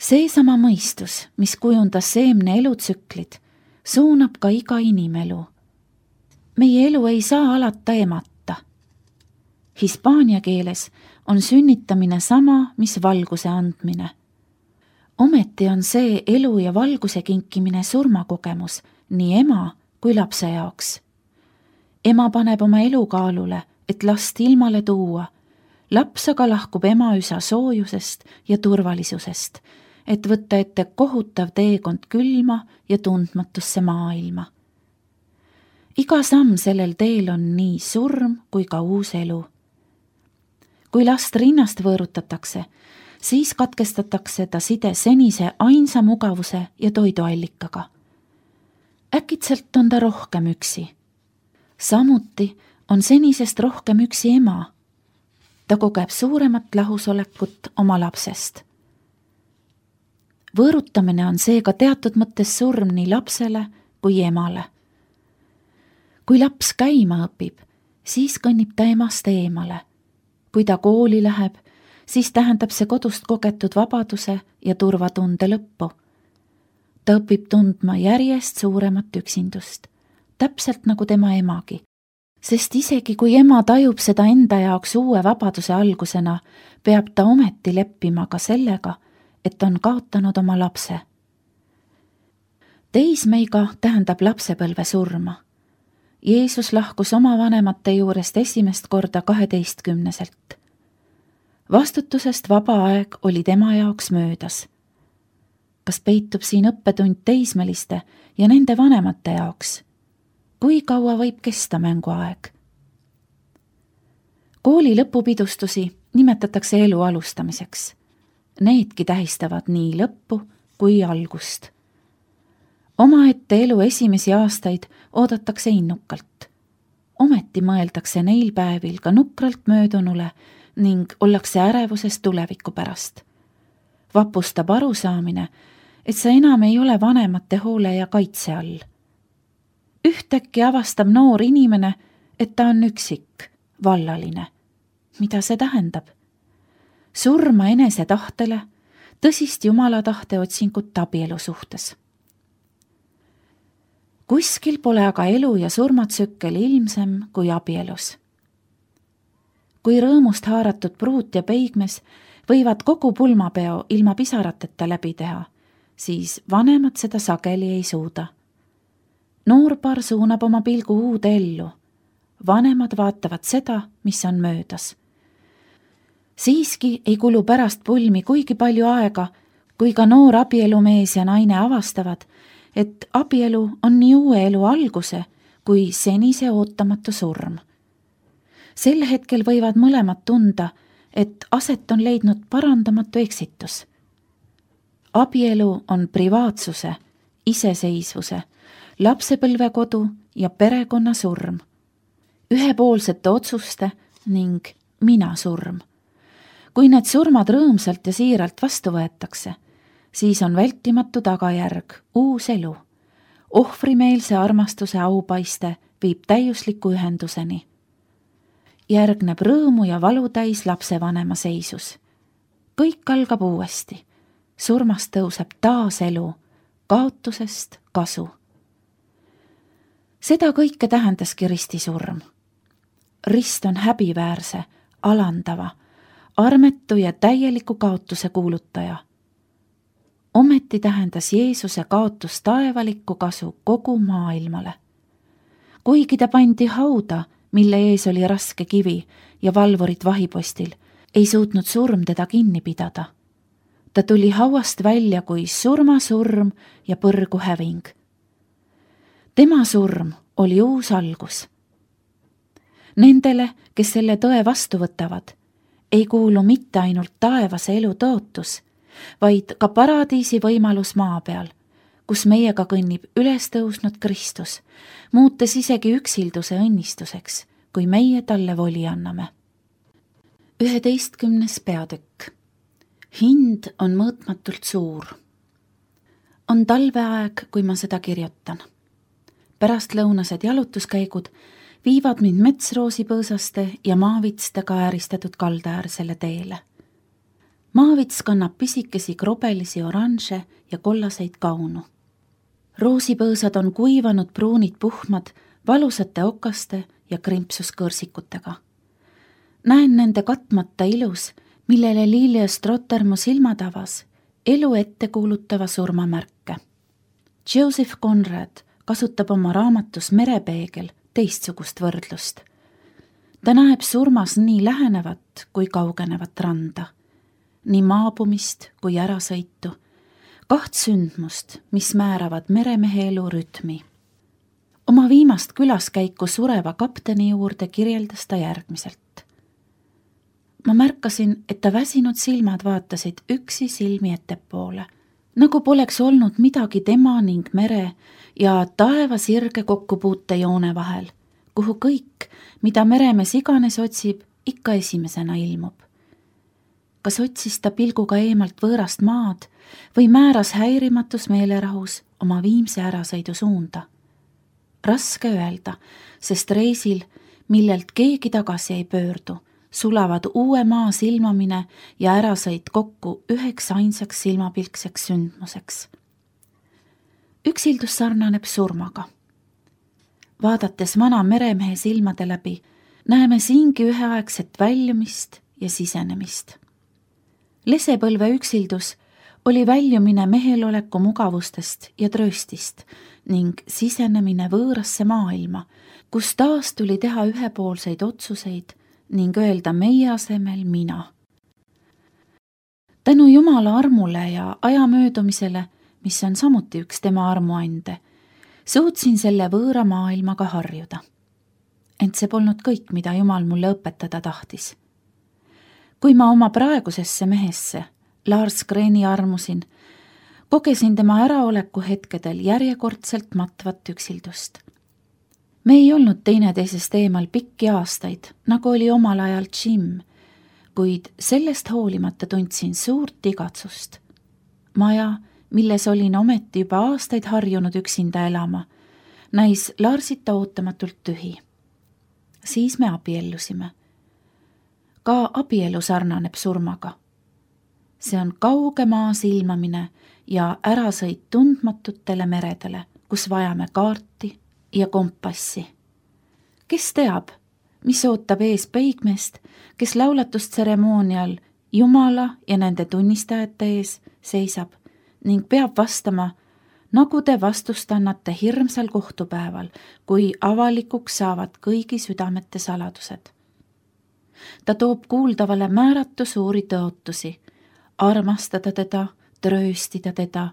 Seesama mõistus, mis kujundas seemne elutsüklid, suunab ka iga inimelu. Meie elu ei saa alata emata. Hispaania keeles on sünnitamine sama, mis valguse andmine. Ometi on see elu ja valguse kinkimine surmakogemus nii ema kui lapse jaoks. Ema paneb oma elu kaalule, et last ilmale tuua. Laps aga lahkub ema üsa soojusest ja turvalisusest, et võtta ette kohutav teekond külma ja tundmatusse maailma. Iga samm sellel teel on nii surm kui ka uus elu. Kui last rinnast võõrutatakse, siis katkestatakse ta side senise ainsa mugavuse ja toiduallikaga. Äkitselt on ta rohkem üksi. Samuti on senisest rohkem üksi ema. Ta kogeb suuremat lahusolekut oma lapsest. Võõrutamine on seega teatud mõttes surm nii lapsele kui emale. Kui laps käima õpib, siis kõnnib ta emast eemale. Kui ta kooli läheb, siis tähendab see kodust kogetud vabaduse ja turvatunde lõppu. Ta õpib tundma järjest suuremat üksindust, täpselt nagu tema emagi. Sest isegi kui ema tajub seda enda jaoks uue vabaduse algusena, peab ta ometi leppima ka sellega, et on kaotanud oma lapse. Teismeiga tähendab lapsepõlve surma. Jeesus lahkus oma vanemate juurest esimest korda 12-selt. Vastutusest vaba aeg oli tema jaoks möödas. Kas peitub siin õppetund teismeliste ja nende vanemate jaoks? Kui kaua võib kesta mänguaeg? Kooli lõpupidustusi nimetatakse elu alustamiseks. Needki tähistavad nii lõppu kui algust. Omaette elu esimesi aastaid oodatakse innukalt. Ometi mõeldakse neil päevil ka nukralt möödunule ning ollakse ärevuses tuleviku pärast. Vapustab arusaamine, et sa enam ei ole vanemate hoole ja kaitse all. Ühtäkki avastab noor inimene, et ta on üksik, vallaline. Mida see tähendab? Surma enese tahtele, tõsist jumala tahte otsingut abielu suhtes. Kuskil pole aga elu ja surmatsükkel ilmsem kui abielus. Kui rõõmust haaratud pruut ja peigmes võivad kogu pulmapeo ilma pisarateta läbi teha, siis vanemad seda sageli ei suuda. Noorpar suunab oma pilgu uude ellu. Vanemad vaatavad seda, mis on möödas. Siiski ei kulu pärast pulmi kuigi palju aega, kui ka noor abielumees ja naine avastavad, et abielu on nii uue elu alguse kui senise ootamatu surm. Sel hetkel võivad mõlemad tunda, et aset on leidnud parandamatu eksitus. Abielu on privaatsuse, iseseisvuse, lapsepõlvekodu ja perekonna surm, ühepoolsete otsuste ning mina surm. Kui need surmad rõõmsalt ja siiralt vastu võetakse, siis on vältimatu tagajärg uus elu. Ohvrimeelse armastuse aupaiste viib täiusliku ühenduseni. Järgneb rõõmu ja valutäis lapsevanema seisus. Kõik algab uuesti. Surmast tõuseb taas elu, kaotusest kasu. Seda kõike tähendaski ristisurm. Rist on häbiväärse, alandava, armetu ja täieliku kaotuse kuulutaja. Ometi tähendas Jeesuse kaotus taevalikku kasu kogu maailmale. Kuigi ta pandi hauda, mille ees oli raske kivi ja valvurid vahipostil, ei suutnud surm teda kinni pidada. Ta tuli hauast välja kui surmasurm ja põrgu häving. Tema surm oli uus algus. Nendele, kes selle tõe vastu võtavad, ei kuulu mitte ainult taevase elu tootus, vaid ka paradiisi võimalus maa peal, kus meiega kõnnib üles tõusnud Kristus, muutes isegi üksilduse õnnistuseks, kui meie talle voli anname. 11. peatükk. Hind on mõõtmatult suur. On talveaeg, kui ma seda kirjutan. Pärastlõunased jalutuskäigud viivad mind metsroosipõõsaste ja maavitstega ääristatud kaldaäärsele teele. maavits kannab pisikesi krobelisi oranže ja kollaseid kaunu. Roosipõõsad on kuivanud pruunid puhmad valusate okaste ja krimpsuskõrsikutega. Näen nende katmata ilus, millele Lilia Strotter mu silmad avas, elu ette kuulutava surmamärke. Joseph Conrad kasutab oma raamatus Merepeegel teistsugust võrdlust. Ta näeb surmas nii lähenevat kui kaugenevat randa, nii maabumist kui ärasõitu, 2 sündmust, mis määravad meremehe elu rütmi. Oma viimast külaskäiku sureva kapteni juurde kirjeldas ta järgmiselt. Ma märkasin, et ta väsinud silmad vaatasid üksi silmi ettepoole, nagu poleks olnud midagi tema ning mere ja taeva sirge kokkupuutejoone vahel, kuhu kõik, mida meremees iganes otsib, ikka esimesena ilmub. Kas otsis ta pilguga eemalt võõrast maad või määras häirimatus meelerahus oma viimse ärasõidu suunda? Raske öelda, sest reisil, millelt keegi tagasi ei pöördu, sulavad uue maa silmamine ja ärasõit kokku üheks ainsaks silmapilkseks sündmuseks. Üksildus sarnaneb surmaga. Vaadates vana meremehe silmade läbi, näeme siingi üheaegset väljumist ja sisenemist. Lesepõlve üksildus oli väljumine meheloleku mugavustest ja trööstist ning sisenemine võõrasse maailma, kus taas tuli teha ühepoolseid otsuseid ning öelda meie asemel mina. Tänu Jumala armule ja aja möödumisele, mis on samuti üks tema armuande, suutsin selle võõra maailmaga harjuda. Ent see polnud kõik, mida Jumal mulle õpetada tahtis. Kui ma oma praegusesse mehesse, Lars Kreeni armusin, kogesin tema äraoleku hetkedel järjekordselt matvat üksildust. Me ei olnud teineteisest eemal pikki aastaid, nagu oli omal ajal Jim, kuid sellest hoolimata tundsin suurt igatsust. Maja, milles olin ometi juba aastaid harjunud üksinda elama, näis Larsita ootamatult tühi. Siis me abiellusime. Ka abielu sarnaneb surmaga. See on kauge maa silmamine ja ärasõit tundmatutele meredele, kus vajame kaarti ja kompassi. Kes teab, mis ootab ees peigmeest, kes laulatustseremoonial Jumala ja nende tunnistajate ees seisab ning peab vastama, nagu te vastust annate hirmsal kohtupäeval, kui avalikuks saavad kõigi südamete saladused. Ta toob kuuldavale määratu suuri tõotusi, armastada teda, trööstida teda,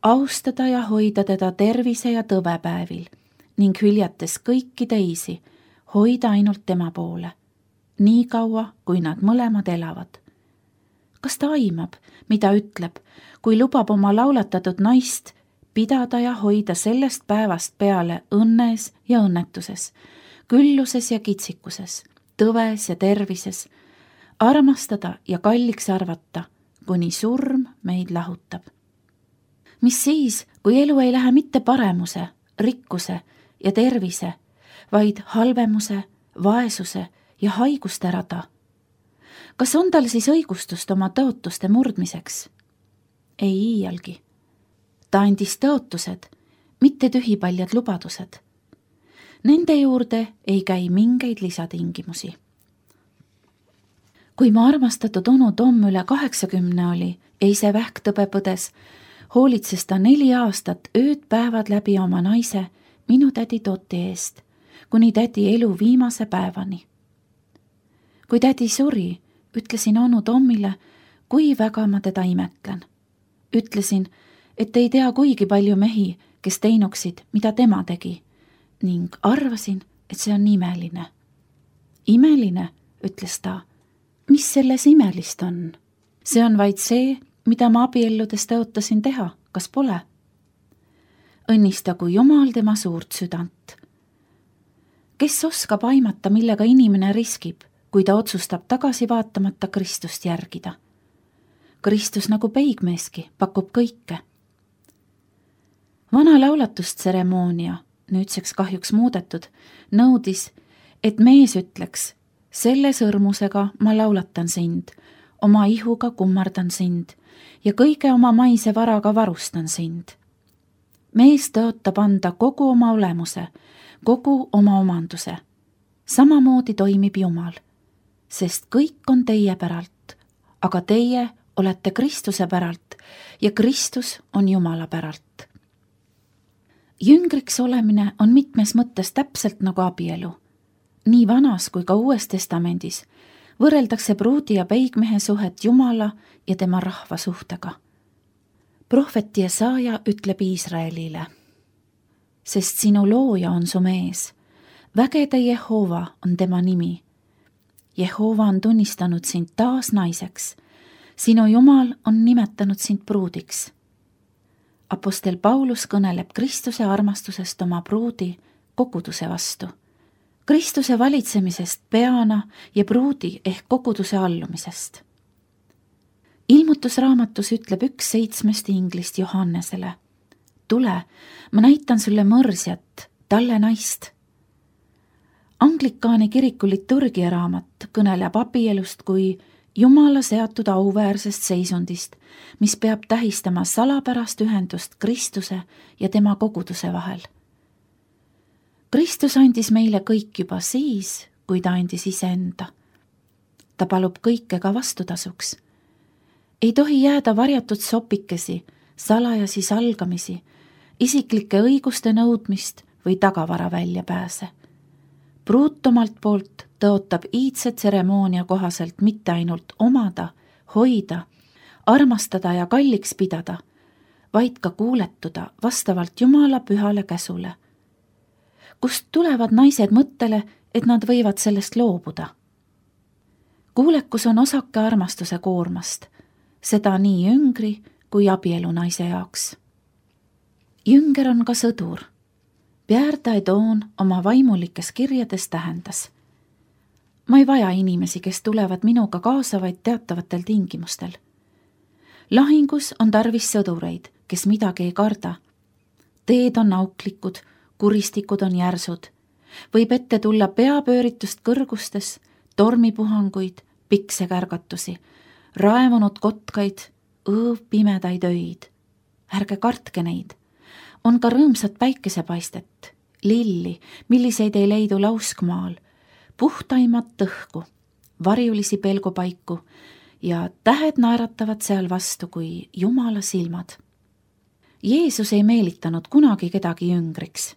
austada ja hoida teda tervise ja tõvepäevil ning hüljates kõiki teisi, hoida ainult tema poole, nii kaua, kui nad mõlemad elavad. Kas ta aimab, mida ütleb, kui lubab oma laulatatud naist pidada ja hoida sellest päevast peale õnnes ja õnnetuses, külluses ja kitsikuses, tõves ja tervises, armastada ja kalliks arvata, kuni surm meid lahutab. Mis siis, kui elu ei lähe mitte paremuse, rikkuse ja tervise, vaid halvemuse, vaesuse ja haiguste rada? Kas on tal siis õigustust oma tõotuste murdmiseks? Ei iialgi. Ta andis tõotused, mitte tühipaljad lubadused. Nende juurde ei käi mingeid lisatingimusi. Kui ma armastatud onu Tom üle 80 oli, ei see vähktõbe põdes, hoolitses ta 4 aastat ööd-päevad läbi oma naise, minu tädi Toti eest, kuni tädi elu viimase päevani. Kui tädi suri, ütlesin onu Tomile, kui väga ma teda imetlen. Ütlesin, et ei tea kuigi palju mehi, kes teinuksid, mida tema tegi, ning arvasin, et see on imeline. Imeline, ütles ta. Mis selles imelist on? See on vaid see, mida ma abielludes tõotasin teha, kas pole? Õnnistagu Jumal tema suurt südant. Kes oskab aimata, millega inimene riskib, kui ta otsustab tagasi vaatamata Kristust järgida? Kristus nagu peigmeeski pakub kõike. Vana laulatustseremoonia, nüüdseks kahjuks muudetud, nõudis, et mees ütleks, selle sõrmusega ma laulatan sind, oma ihuga kummardan sind ja kõige oma maise varaga varustan sind. Mees tõotab anda kogu oma olemuse, kogu oma omanduse. Samamoodi toimib Jumal, sest kõik on teie päralt, aga teie olete Kristuse päralt ja Kristus on Jumala päralt. Jüngriks olemine on mitmes mõttes täpselt nagu abielu. Nii Vanas kui ka Uues Testamendis võrreldakse pruudi ja peigmehe suhet Jumala ja tema rahva suhtega. Prohvet Jesaja ütleb Iisraelile: sest sinu looja on su mees, vägede Jehova on tema nimi. Jehova on tunnistanud sind taas naiseks, sinu Jumal on nimetanud sind pruudiks. Apostel Paulus kõneleb Kristuse armastusest oma pruudi koguduse vastu, Kristuse valitsemisest peana ja pruudi ehk koguduse allumisest. Ilmutusraamatus ütleb 1:7 inglist Johannesele: tule, ma näitan sulle mõrsjat, talle naist. Anglikaani kiriku liturgia raamat kõneleb abielust kui Jumala seatud auväärsest seisundist, mis peab tähistama salapärast ühendust Kristuse ja tema koguduse vahel. Kristus andis meile kõik juba siis, kui ta andis iseenda. Ta palub kõike ka vastutasuks. Ei tohi jääda varjatud sopikesi, salajasi salgamisi, isiklike õiguste nõudmist või tagavara väljapääse. Pruut omalt poolt tõotab iidse tseremoonia kohaselt mitte ainult omada, hoida, armastada ja kalliks pidada, vaid ka kuuletuda vastavalt Jumala pühale käsule. Kust tulevad naised mõttele, et nad võivad sellest loobuda? Kuulekus on osake armastuse koormast, seda nii jüngri kui abielu naise jaoks. Jünger on ka sõdur. Pierre Daedon oma vaimulikes kirjades tähendas: ma ei vaja inimesi, kes tulevad minuga kaasa vaid teatavatel tingimustel. Lahingus on tarvis sõdureid, kes midagi ei karda. Teed on auklikud, kuristikud on järsud. Võib ette tulla peapööritust kõrgustes, tormipuhanguid, piksekärgatusi, raevunud kotkaid, pimedaid öid. Ärge kartke neid. On ka rõõmsat päikesepaistet, lilli, milliseid ei leidu lauskmaal, puhtaimat õhku, varjulisi pelgupaiku ja tähed naeratavad seal vastu kui Jumala silmad. Jeesus ei meelitanud kunagi kedagi jüngriks.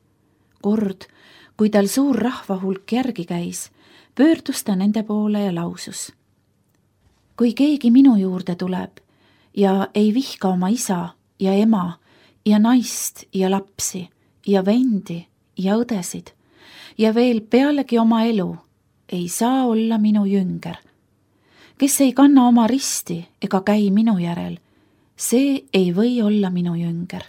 Kord, kui tal suur rahvahulk järgi käis, pöördus ta nende poole ja lausus: kui keegi minu juurde tuleb ja ei vihka oma isa ja ema ja naist ja lapsi ja vendi ja õdesid ja veel pealegi oma elu, ei saa olla minu jünger. Kes ei kanna oma risti ega käi minu järel, see ei või olla minu jünger.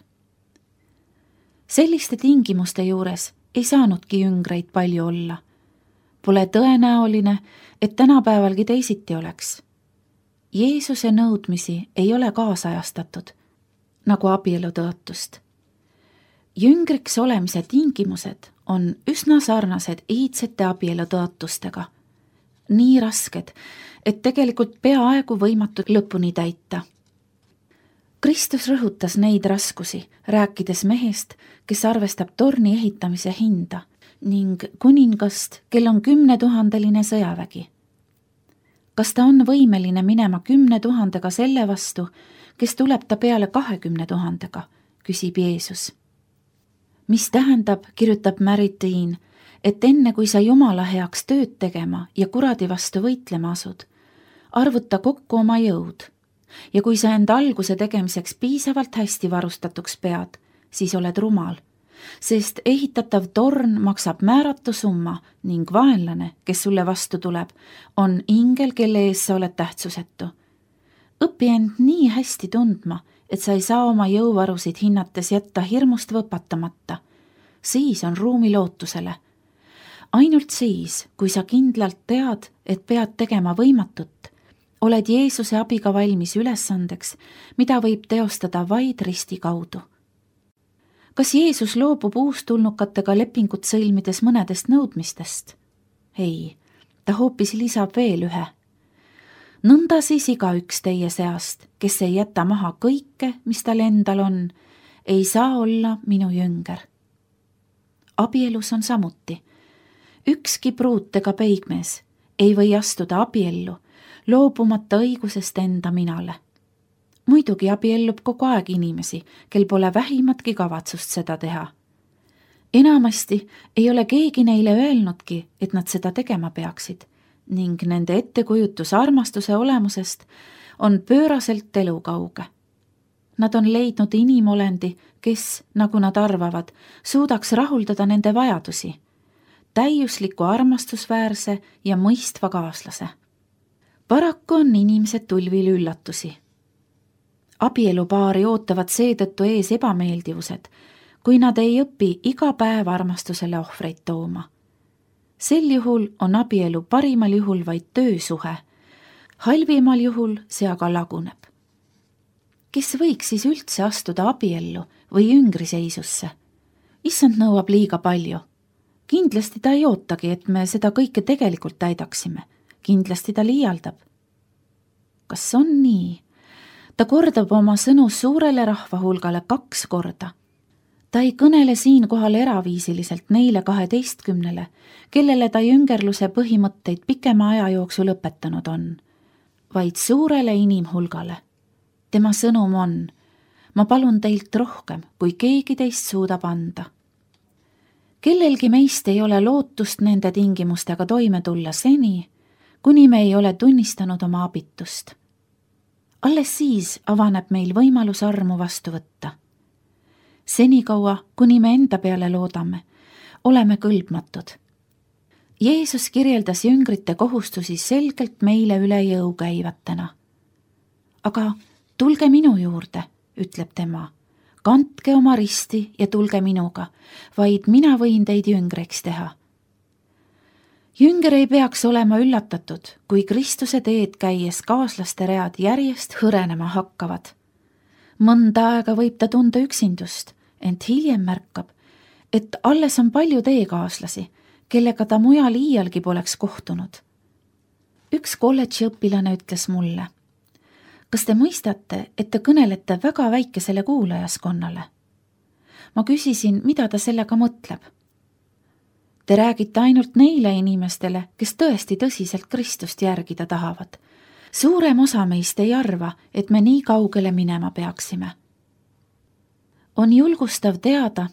Selliste tingimuste juures ei saanudki jüngreid palju olla. Pole tõenäoline, et tänapäevalgi teisiti oleks. Jeesuse nõudmisi ei ole kaasajastatud, nagu abielutõotust. Jüngriks olemise tingimused on üsna sarnased iidsete abielutõotustega. Nii rasked, et tegelikult peaaegu võimatud lõpuni täita. Kristus rõhutas neid raskusi, rääkides mehest, kes arvestab torni ehitamise hinda ning kuningast, kel on 10 000 sõjavägi. Kas ta on võimeline minema 10 000 selle vastu, kes tuleb ta peale 20 000, küsib Jeesus. Mis tähendab, kirjutab Maritiin, et enne kui sa Jumala heaks tööd tegema ja kuradi vastu võitlema asud, arvuta kokku oma jõud. Ja kui sa enda alguse tegemiseks piisavalt hästi varustatuks pead, siis oled rumal, sest ehitatav torn maksab määratu summa ning vaenlane, kes sulle vastu tuleb, on ingel, kelle ees sa oled tähtsusetu. Õpi end nii hästi tundma, et sa ei saa oma jõuvarusid hinnates jätta hirmust võpatamata. Siis on ruumi lootusele. Ainult siis, kui sa kindlalt tead, et pead tegema võimatut, oled Jeesuse abiga valmis ülesandeks, mida võib teostada vaid risti kaudu. Kas Jeesus loobub uustulnukatega lepingut sõlmides mõnedest nõudmistest? Ei, ta hoopis lisab veel ühe. Nõnda siis igaüks teie seast, kes ei jäta maha kõike, mis tal endal on, ei saa olla minu jünger. Abielus on samuti. Ükski pruut ega peigmees ei või astuda abiellu, loobumata õigusest enda minale. Muidugi abiellub kogu aeg inimesi, kel pole vähimatki kavatsust seda teha. Enamasti ei ole keegi neile öelnudki, et nad seda tegema peaksid ning nende ettekujutus armastuse olemusest on pööraselt elukauge. Nad on leidnud inimolendi, kes, nagu nad arvavad, suudaks rahuldada nende vajadusi, täiusliku armastusväärse ja mõistva kaaslase. Paraku on inimesed tulvil üllatusi. Abielupaari ootavad seetõttu ees ebameeldivused, kui nad ei õpi iga päev armastusele ohvreid tooma. Sel juhul on abielu parimal juhul vaid töösuhe, halvimal juhul see aga laguneb. Kes võiks siis üldse astuda abiellu või jüngriseisusse? Issand nõuab liiga palju. Kindlasti ta ei ootagi, et me seda kõike tegelikult täidaksime. Kindlasti ta liialdab. Kas on nii? Ta kordab oma sõnu suurele rahvahulgale 2 korda. Ta ei kõnele siinkohal eraviisiliselt neile 12, kellele ta jüngerluse põhimõtteid pikema aja jooksul õpetanud on, vaid suurele inimhulgale. Tema sõnum on: ma palun teilt rohkem, kui keegi teist suudab anda. Kellelgi meist ei ole lootust nende tingimustega toime tulla seni, kuni me ei ole tunnistanud oma abitust. Alles siis avaneb meil võimalus armu vastu võtta. Senikaua, kuni me enda peale loodame, oleme kõlbmatud. Jeesus kirjeldas jüngrite kohustusi selgelt meile üle jõu käivatena. Aga tulge minu juurde, ütleb tema. Kandke oma risti ja tulge minuga, vaid mina võin teid jüngriks teha. Jünger ei peaks olema üllatatud, kui Kristuse teed käies kaaslaste read järjest hõrenema hakkavad. Mõnda aega võib ta tunda üksindust, ent hiljem märkab, et alles on palju teekaaslasi, kellega ta mujal iialgi poleks kohtunud. Üks kolledži õpilane ütles mulle: kas te mõistate, et te kõnelete väga väikesele kuulajaskonnale? Ma küsisin, mida ta sellega mõtleb. Te räägite ainult neile inimestele, kes tõesti tõsiselt Kristust järgida tahavad. Suurem osa meist ei arva, et me nii kaugele minema peaksime. On julgustav teada,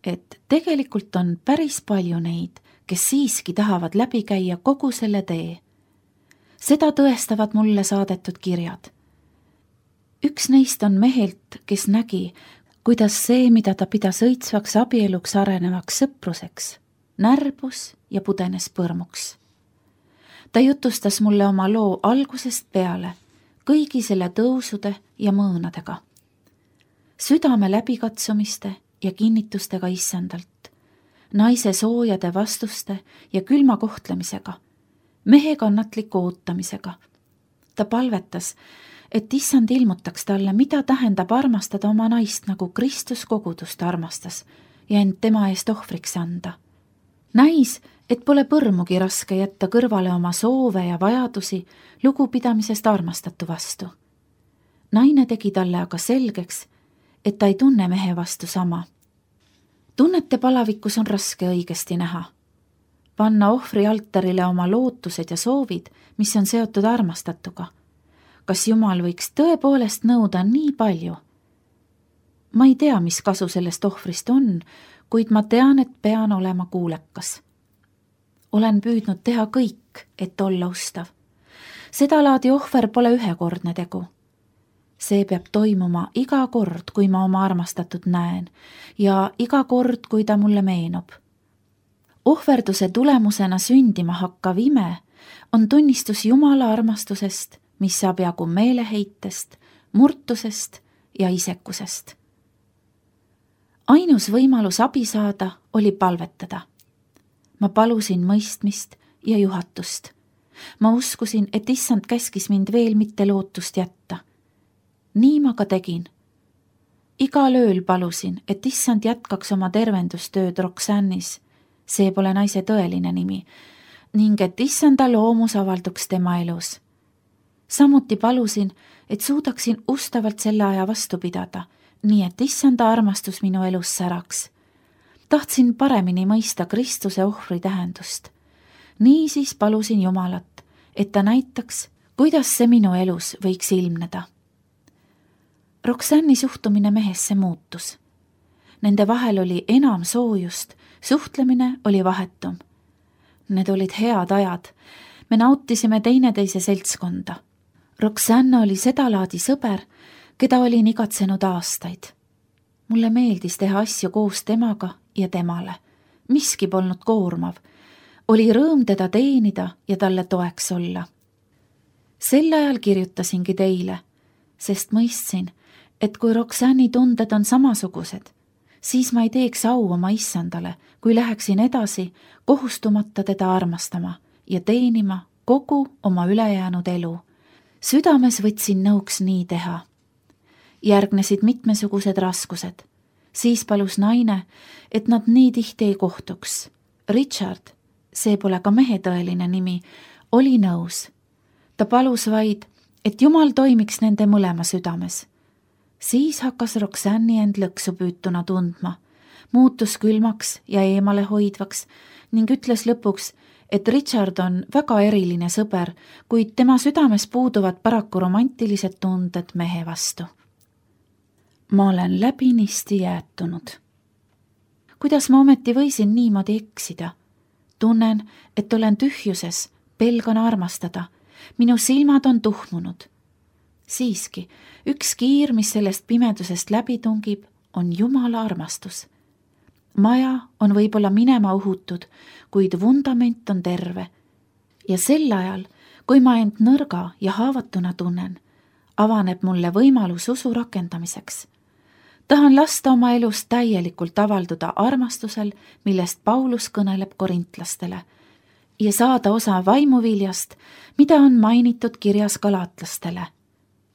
et tegelikult on päris palju neid, kes siiski tahavad läbi käia kogu selle tee. Seda tõestavad mulle saadetud kirjad. Üks neist on mehelt, kes nägi, kuidas see, mida ta pidas õitsvaks abieluks arenevaks sõpruseks, närbus ja pudenes põrmuks. Ta jutustas mulle oma loo algusest peale, kõigi selle tõusude ja mõõnadega. Südame läbikatsumiste ja kinnitustega issandalt, naise soojade vastuste ja külma kohtlemisega, mehe kannatliku ootamisega. Ta palvetas, et issand ilmutaks talle, mida tähendab armastada oma naist, nagu Kristus kogudust armastas ja end tema eest ohvriks anda. Näis, et pole põrmugi raske jätta kõrvale oma soove ja vajadusi lugupidamisest armastatu vastu. Naine tegi talle aga selgeks, et ta ei tunne mehe vastu sama. Tunnete palavikus on raske õigesti näha. Panna ohvri altarile oma lootused ja soovid, mis on seotud armastatuga. Kas Jumal võiks tõepoolest nõuda nii palju? Ma ei tea, mis kasu sellest ohvrist on, kuid ma tean, et pean olema kuulekas. Olen püüdnud teha kõik, et olla ustav. Seda laadi ohver pole ühekordne tegu. See peab toimuma iga kord, kui ma oma armastatud näen ja iga kord, kui ta mulle meenub. Ohverduse tulemusena sündima hakkav ime on tunnistus Jumala armastusest, mis saab jagu meeleheitest, murtusest ja isekusest. Ainus võimalus abi saada oli palvetada. Ma palusin mõistmist ja juhatust. Ma uskusin, et issand käskis mind veel mitte lootust jätta. Nii ma ka tegin. Igal ööl palusin, et issand jätkaks oma tervendustööd Roxannis, see pole naise tõeline nimi, ning et issanda loomus avalduks tema elus. samuti palusin, et suudaksin ustavalt selle aja vastu pidada, nii et issanda armastus minu elus säraks. Tahtsin paremini mõista Kristuse ohvri tähendust. Niisiis palusin Jumalat, et ta näitaks, kuidas see minu elus võiks ilmneda. Roxanne'i suhtumine mehesse muutus. Nende vahel oli enam soojust, suhtlemine oli vahetum. Need olid head ajad, me nautisime teineteise seltskonda. Roxanne oli sedalaadi sõber, keda olin igatsenud aastaid. Mulle meeldis teha asju koos temaga ja temale. Miski polnud koormav. Oli rõõm teda teenida ja talle toeks olla. Sel ajal kirjutasingi teile, sest mõistsin, et kui Roxanne'i tunded on samasugused, siis ma ei teeks au oma issandale, kui läheksin edasi, kohustumata teda armastama ja teenima kogu oma ülejäänud elu. Südames võtsin nõuks nii teha. Järgnesid mitmesugused raskused. Siis palus naine, et nad nii tihti ei kohtuks. Richard, see pole ka mehe tõeline nimi, oli nõus. Ta palus vaid, et Jumal toimiks nende mõlema südames. Siis hakkas Roxanne'i end lõksu püütuna tundma, muutus külmaks ja eemale hoidvaks ning ütles lõpuks, et Richard on väga eriline sõber, kuid tema südames puuduvad paraku romantilised tunded mehe vastu. Ma olen läbinisti jäätunud. Kuidas ma ometi võisin niimoodi eksida? Tunnen, et olen tühjuses, pelgan armastada. Minu silmad on tuhmunud. Siiski, üks kiir, mis sellest pimedusest läbi tungib, on Jumala armastus. Maja on võib-olla minema uhutud, kuid vundament on terve. Ja sel ajal, kui ma end nõrga ja haavatuna tunnen, avaneb mulle võimalus usu rakendamiseks. Tahan lasta oma elus täielikult avalduda armastusel, millest Paulus kõneleb korintlastele, ja saada osa vaimuviljast, mida on mainitud kirjas galaatlastele.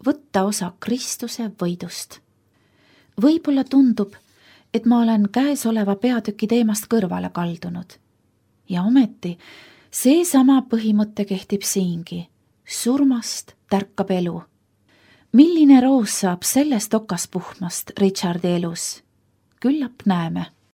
Võtta osa Kristuse võidust. Võib-olla tundub, et ma olen käesoleva peatüki teemast kõrvale kaldunud. Ja ometi, seesama põhimõte kehtib siingi. Surmast tärkab elu. Milline roos saab sellest okaspuhmast Richardi elus? Küllap näeme.